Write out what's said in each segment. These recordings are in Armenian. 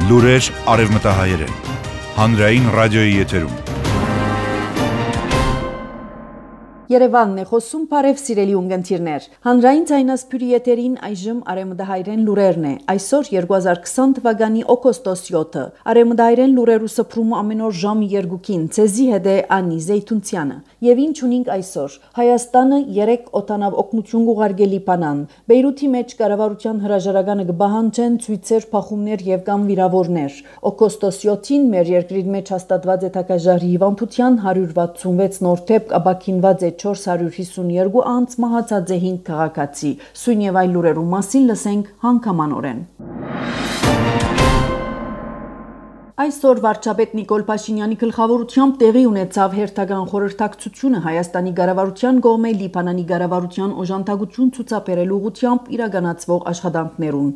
Լուրեր արևմտահայերեն, հանրային ռադիոյի եթերում։ Երևանն է խոսում, բարև սիրելի ունգընտիրներ։ Հանրային ձայնասփյուրի եթերին այժմ արևմտահայերեն լուրերն է։ Այսօր 2020 թվականի օգոստոս 7-ը։ Արևմտահայերեն լուրերու սփռումը ամեն օր ժամը 2-ին։ Ցեզի հետ է Անի Զեյթունցյանը։ Եվ ինչ ունենք այսօր։ Հայաստանը 3 օտանավ օգնություն ուղարկել Լիբանան։ Բեյրութի մեջ կառավարության հրաժարականը կբահանջեն ցույցեր, փախումներ եւ կամ վիրավորներ։ Օգոստոս 7-ին մեր երկրի մեջ հաստատված է թակաժարի հիվանդության 166 նոր դեպք, ապաքինված է 452 անց, մահացած է 5 քաղաքացի։ Սույն եւ այլ լուրերու մասին լսենք հանգամանորեն։ Այսօր վարչապետ Նիկոլ Փաշինյանի գլխավորությամբ տեղի ունեցավ հերթական խորհրդակցությունը Հայաստանի կառավարության կողմէ Լիբանանի կառավարության օժանդակություն ցուցաբերելու ուղղությամբ իրականացվող աշխատանքներուն։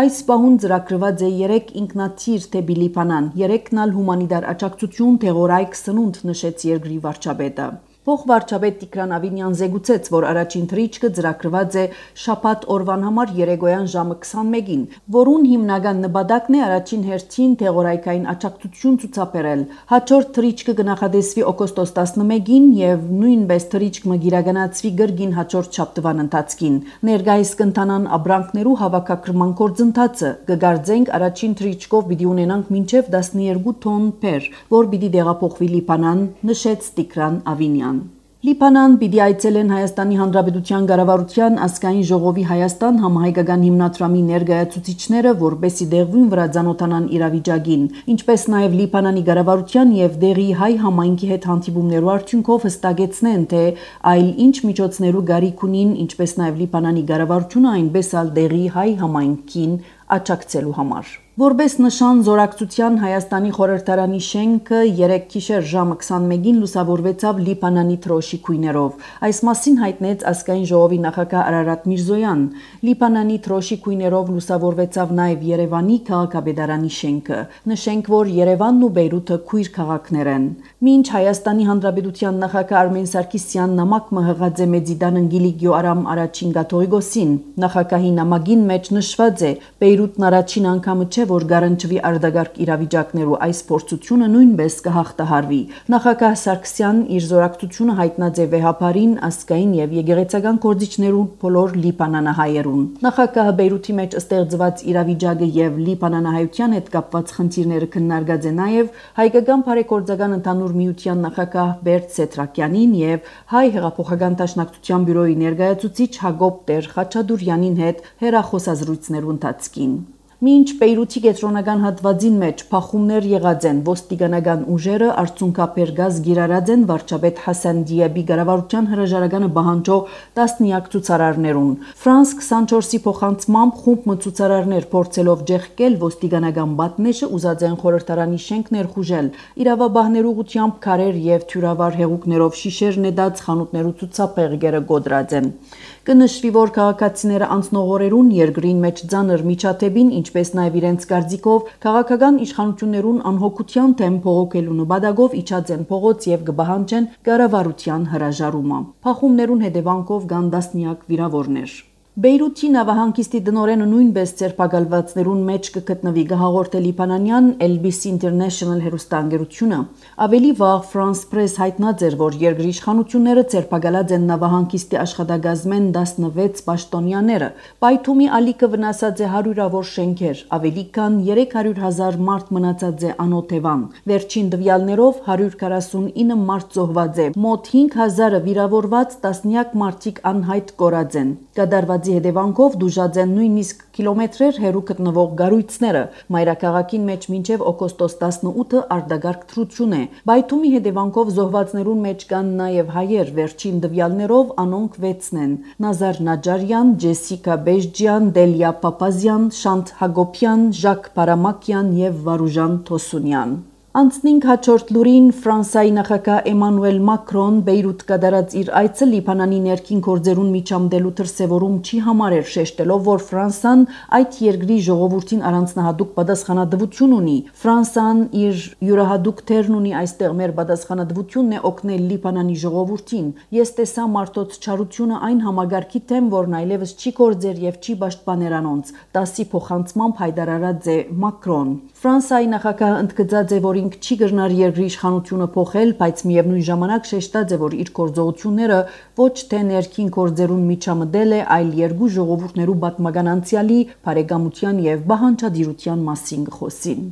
Այս պահուն ծրագրված է 3 ինքնաթիռ դեպի Լիբանան, 3-ն ալ հումանիտար աջակցություն տեղորայք սնունդ, նշեց երկրի վարչապետը։ Փոխվարչապետ Տիգրան Ավինյան զեկուցեց, որ առաջին թռիչքը ծրագրված է շաբաթ օրվան համար երեկոյան ժամը 21-ին, որուն հիմնական նպատակն է առաջին հերթին տեղորայքային աջակցություն ցուցաբերել։ Հաջորդ թռիչքը կնախադեсվի օգոստոս 11-ին եւ նույնպես թռիչքը կիրականացվի գրգին հաջորդ շաբթվան ընթացքին։ Ներկայիս կընթանան ապրանքներու հավաքագրման գործընթացը, կգարձենք առաջին թռիչքով պիտի ունենանք մինչեւ 12 տոն փեր, որ պիտի տեղափոխվի Լիբանան, նշեց Տիգրան Ավինյան։ Լիբանան պիտի այցելեն Հայաստանի Հանրապետության կառավարության ազգային ժողովի Հայաստան համահայկական հիմնադրամի ներկայացուցիչները, որպեսզի դեղին վրա ցանոթանան իրավիճակին, ինչպես նաև Լիբանանի կառավարության եւ դեղի հայ համայնքի հետ հանդիպումներու արդյունքով հստակեցնեն, թե այլ ինչ միջոցներու գարիք ունին, ինչպես նաև Լիբանանի կառավարությունը, այնպես ալ դեղի հայ համայնքին աջակցելու համար։ Որպես նշան զորակցության Հայաստանի խորհրդարանի շենքը 3 գիշեր ժամը 21-ին լուսավորվեցավ Լիբանանի թրոշի քույներով։ Այս մասին հայտնեց ազգային ժողովի նախագահ Արարատ Միրզոյան։ Լիբանանի թրոշի քույներով լուսավորվեցավ նաև Երևանի քաղաքապետարանի շենքը։ Նշենք, որ Երևանն ու Բեյրութը քույր քաղաքներ են։ Մինչ Հայաստանի Հանրապետության նախագահ Արմեն Սարգսյանն նամակ մղած է Մեծիդան Անգելիկիո Արամ առաջին կաթողիկոսին, նախագահի նամակին մեջ նշված է Բեյրութն առաջին անգամը չէ, որ գարանչվի արդագարգ իրավիճակներու այս փորձությունը նույնպես կհաղթահարվի։ Նախագահ Սարգսյանն իր զորակցությունը հայտնած է վեհապարին, ազգային եւ եկեղեցական գործիչներուն բոլոր լիբանանահայերուն։ Նախագահը Բեյրութի մեջ ստեղծված իրավիճակը եւ լիբանանահայության հետ կապված խնդիրները քննարկած է նաեւ հայկական բարեգործական ընդհանուր միության նախագահ Բերտ Սետրակյանին եւ հայ հեղափոխական դաշնակցության բյուրոյի ներկայացուցիչ Հակոբ Տեր Խաչատուրյանին հետ հեռախոսազրույցներու ընթացքին։ Մինչ Բեյրութի կենտրոնական հատվածին մեջ փախումներ եղած են, ոստիկանական ուժերը արցունքաբեր գազ գիրարած են վարչապետ Հասան Դիաբի կառավարության հրաժարականը պահանջող տասնյակ ցուցարարներուն։ Ֆրանս 24-ի փոխանցմամբ խումբ ցուցարարներ փորձելով ջեղկել ոստիկանական պատնեշը ուզած են խորհրդարանի շենք ներխուժել, իրավաբաններու ուղղությամբ քարեր եւ թյուրավար հեղուկներով շիշեր նետած խանութներու ցուցափեղկերը գոդրած են։ Կնշվի, որ քաղաքացիները անցնող օրերուն երկրին մեջ ցաներ միջադեպին, ինչպես նաև իրենց կարծիքով քաղաքական իշխանություններուն անհոգության թեմ փողոքելու նպատակով իջած են փողոց եւ կբահանջեն կառավարության հրաժարումը։ Փախումներուն հետևանքով կան տասնյակ վիրավորներ։ Բեյրութի նավահանգիստի դնորենը նույնպես ցերպակալվածներուն մեջ կգտնվի, գահաղորդել Լիբանանյան Elbis International հեռուստաընկերությունը։ Ավելի վաղ France Press հայտնած էր, որ երկրի իշխանությունները ցերպակալած են նավահանգիստի աշխատակազմեն 16 պաշտոնյաները։ Բայթումի ալիքը վնասած է հարյուրավոր շենքեր, ավելի քան 300,000 մարդ մնացած է անօթևան։ Վերջին տվյալներով 149 մարդ զոհված է, մոտ 5,000-ը վիրավորված, տասնյակ մարդիկ անհայտ կորած են։ Կատարված հետևանքով դուժած են նույնիսկ կիլոմետրեր հեռու գտնվող գառույցները։ Մայրաքաղաքին մեջ մինչև օգոստոս 18-ը արդագարգ թռություն է։ Բայթումի հետևանքով զոհվածներուն մեջ կան նաև հայեր, վերջին տվյալներով անոնք 6-ն են։ Նազար Նաջարյան, Ջեսիկա Բեժջյան, Դելիա Պապազյան, Շանթ Հակոբյան, Ժակ Պարամակյան եւ Վարուժան Թոսունյան։ Անցնինք հաջորդ լուրին Ֆրանսիայի նախագահ Էմանուել Մակրոն Բեյրութ կատարած իր այցը Լիբանանի ներքին գործերուն միջամտելու դրսևորում չի համարել, շեշտելով, որ Ֆրանսան այդ երկրի ժողովրդին առանձնահատուկ պատասխանատվություն ունի։ Ֆրանսան իր յուրահատուկ թերն ունի այստեղ, մեր պատասխանատվությունն է օգնել Լիբանանի ժողովրդին։ Ես տեսա մարդոց չարությունը այն համագարքի թեմ, որն այլևս չի գործեր եւ չի պաշտպաներ անոնց, դասի փոխանցմամբ հայտարարած է Մակրոն։ Ֆրանսիայի նախագահը ընդգծած է, որ ինք չի կրնար երկրի իշխանությունը փոխել, բայց միևնույն ժամանակ շեշտած է, որ իր գործողությունները ոչ թե ներքին գործերուն միջամտել է, այլ երկու ժողովուրդներու պատմական անցյալի, բարեկամության եւ բանջարդիրության մասին խոսին։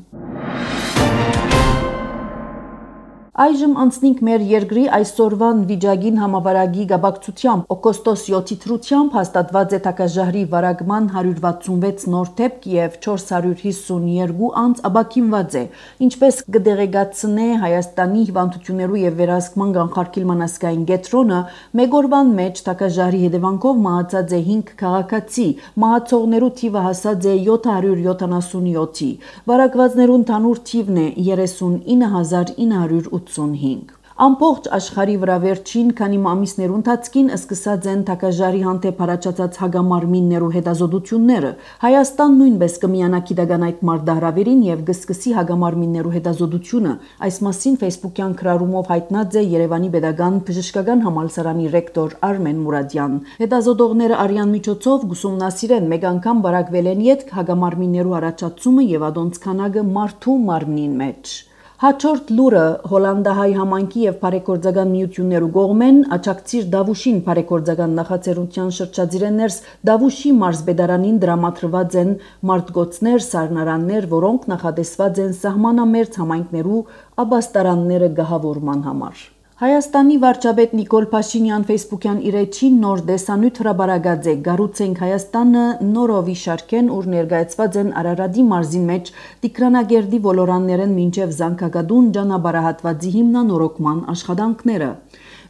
Այժմ անցնենք մեր երկրի այսօրվան վիճակին համավարակի գաբակցությամբ օգոստոս 7-ի թրությամբ հաստատված է թակաժահրի վարակման 166 նոր դեպք եւ 452 անձ աբակինված է, ինչպես կդեղեկացնե Հայաստանի հիվանդություններու եւ վերահսկման կանխարգելման ազգային կենտրոնը, մեկ օրվան մեջ թակաժահրի հետևանքով մահացած է 5 քաղաքացի, մահացողներու թիվը հասած է 777-ի, վարակվածներու ընդհանուր թիվն է 39985։ Ամբողջ աշխարհի վրա վերջին քանի ամիսներու ընթացքին սկսած են թակաժարի հանդեպ առաջացած հագամարմիններու հետազոտությունները։ Հայաստան նույնպես կմիանա գիտական այդ մարտահրավերին եւ կսկսի հագամարմիններու հետազոտությունը։ Այս մասին Facebook-յան քրարումով հայտնած է Երևանի Պետական Բժշկական համալսարանի ռեկտոր Արմեն Մուրադյան։ Հետազոտողները արյան միջոցով գուսումնասիրեն մեկ անգամ վարակվել են յետ հագամարմիններու առաջացումը եւ ադոնց քանակը մարդու մարմնին մեջ։ Հաջորդ լուրը հոլանդահայ համայնքի եւ բարեգործական միություններու կողմեն աջակցիր Դավուշին բարեգործական նախաձեռնության շրջադիրներս Դավուշի մարզպետարանին դրամատրված են մարտգոցներ, սառնարաններ, որոնք նախատեսված են սահմանամերձ համայնքներու աբաստարանները գահավորման համար։ Հայաստանի վարչապետ Նիկոլ Փաշինյան Facebook-յան իր էջին նոր դեսանյութ հրաբարացած է «Գառուցենք Հայաստանը» նորովի շարքեն, ուր ներկայացված են Արարատի մարզին մեջ Տիգրանագերդի ոլորաններեն մինչև Զանգակադուն ճանապարհահատվածի հիմնանորոգման աշխատանքները։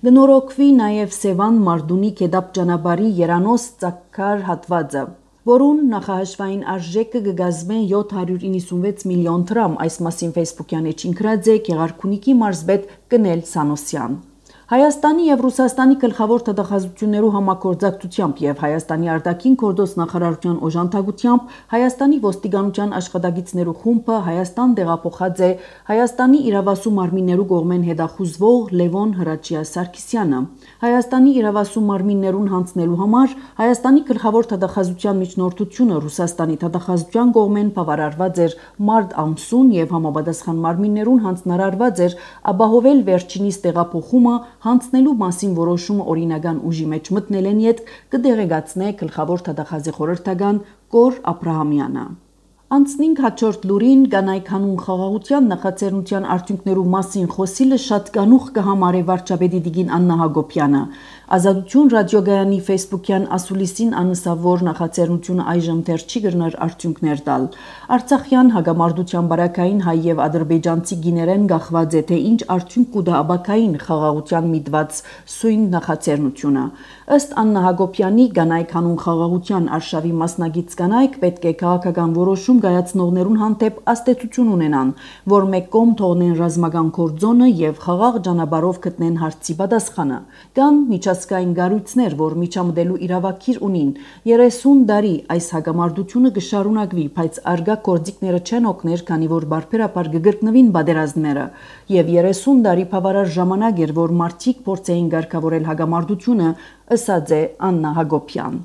Կնորոգվի նաև Սևան Մարդունի Գետապ ճանապարհի Երանոս Ծակար հատվածը, որուն նախահաշվային արժեքը կգազմե 796 միլիոն դրամ, այս մասին Facebook-յան էջին գրած է Գեղարքունիքի մարզպետ Կնել Սանոսյան։ Հայաստանի եւ Ռուսաստանի գլխավոր թղթակցություններու համագործակցությամբ եւ Հայաստանի արտաքին գործ նախարարության օժանդակությամբ Հայաստանի ոստիկանության աշխատակիցներու խումբը Հայաստան տեղափոխած է Հայաստանի իրավասու մարմիններու կողմեն հետախուզվող Լևոն Հրաչյա Սարգսյանը։ Հայաստանի իրավասու մարմիններուն հանձնելու համար Հայաստանի գլխավոր թղթակցության միջնորդությունը Ռուսաստանի թղթակցության կողմեն բավարարված էր մարտ ամսուն եւ համապատասխան մարմիններուն հանձնարարված էր ապահովել վերջինիս տեղափոխումը հանձնելու մասին որոշումը օրինական ուժի մեջ մտնել են յետ կդեղեկացնե գլխավոր թղթակցի խորհրդական Կոր Աբրահամյանը։ Անցնինք հաջորդ լուրին կանայք հանուն խաղաղության նախաձեռնության արդյունքներու մասին խոսիլը շատ կանուխ կհամարե վարչապետի Տիկին Աննա Հակոբյանը։ Ազատություն ռադիոգայանի Facebook-յան ասուլիսին անսավոր նախաձեռնությունը այժմ դեռ չի կրնար արդյունքներ տալ։ Արցախյան հագամարտության բարակային հայ եւ ադրբեջանցի գիներեն գախված է թե ինչ արդյունք կուտա աբակային խաղաղության միտված սույն նախաձեռնությունը։ Ըստ Աննա Հակոբյանի կանայք հանուն խաղաղության արշավի մասնագիծ կանայք պետք է քաղաքական որոշում գայացնողներուն հանդեպ աստեցություն ունենան, որ մեկ կողմ թողնեն ռազմական գործոնը եւ խաղաղ ճանապարհով գտնեն հարցի պատասխանը։ Կան միջազգային գառույցներ, որ միջամտելու իրավակիր ունին։ 30 տարի այս հագամարտությունը կշարունակվի, բայց արգա գործիքները չեն օգներ, քանի որ բարբերաբար կգրկնվին պատերազմները։ Եվ 30 տարի բավարար ժամանակ էր, որ մարդիկ փորձեին ղեկավարել հագամարտությունը, ըսած է Աննա Հակոբյան։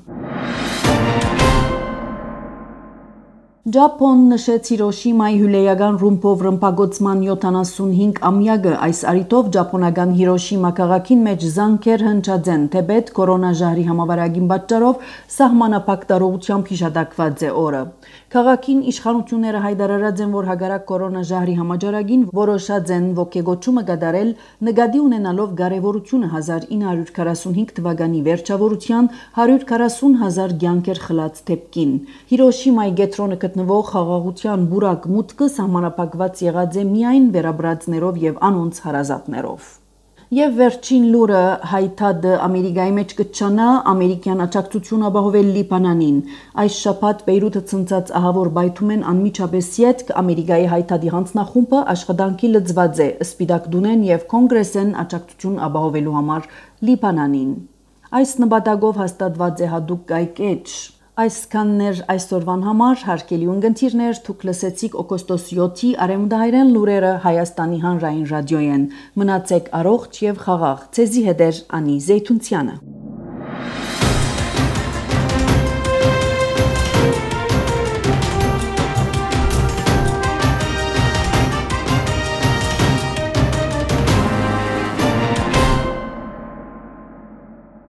Ճապոն նշեց Հիրոշիմայի հյուրեական ռումբով ռմբակոծման 75-ամյակը, այս առիթով ճապոնական Հիրոշիմա քաղաքին մեջ զանգեր հնչած են, թեպետ կորոնաժահրի համավարակին պատճառով սահմանափակ տարողությամբ հիշատակված է օրը։ Քաղաքին իշխանությունները հայտարարած են, որ հակառակ կորոնաժահրի համաճարակին որոշած են ոգեգոճումը կատարել, նկատի ունենալով կարևորությունը 1945 թվականի վերջավորության 140,000 կյանքեր խլած դեպքին։ Հիրոշիմայի կենտրոնը գտնվող խաղաղության բուրակ մուտքը սահմանափակված եղած է միայն վերաբրածներով եւ անոնց հարազատներով։ Եվ վերջին լուրը հայտադը Ամերիկայի մեջ կչանա ամերիկյան աջակցություն ապահովել Լիբանանին։ Այս շաբաթ Բեյրութը ցնցած ահավոր բայթում են անմիջապես յետք Ամերիկայի հայտադի հանձնախումբը աշխատանքի լծված է Սպիտակ դունեն եւ կոնգրեսեն աջակցություն ապահովելու համար Լիբանանին։ Այս նպատակով հաստատված է հատուկ կայքէջ։ Այսքաններ այսօրվան համար հարգելի ունգընտիրներ, դուք լսեցիք օգոստոս 7-ի արևմտահայերեն լուրերը Հայաստանի հանրային ռադիոյեն։ Մնացեք առողջ եւ խաղաղ։ Ցեզի հետ է Անի Զեյթունցյանը։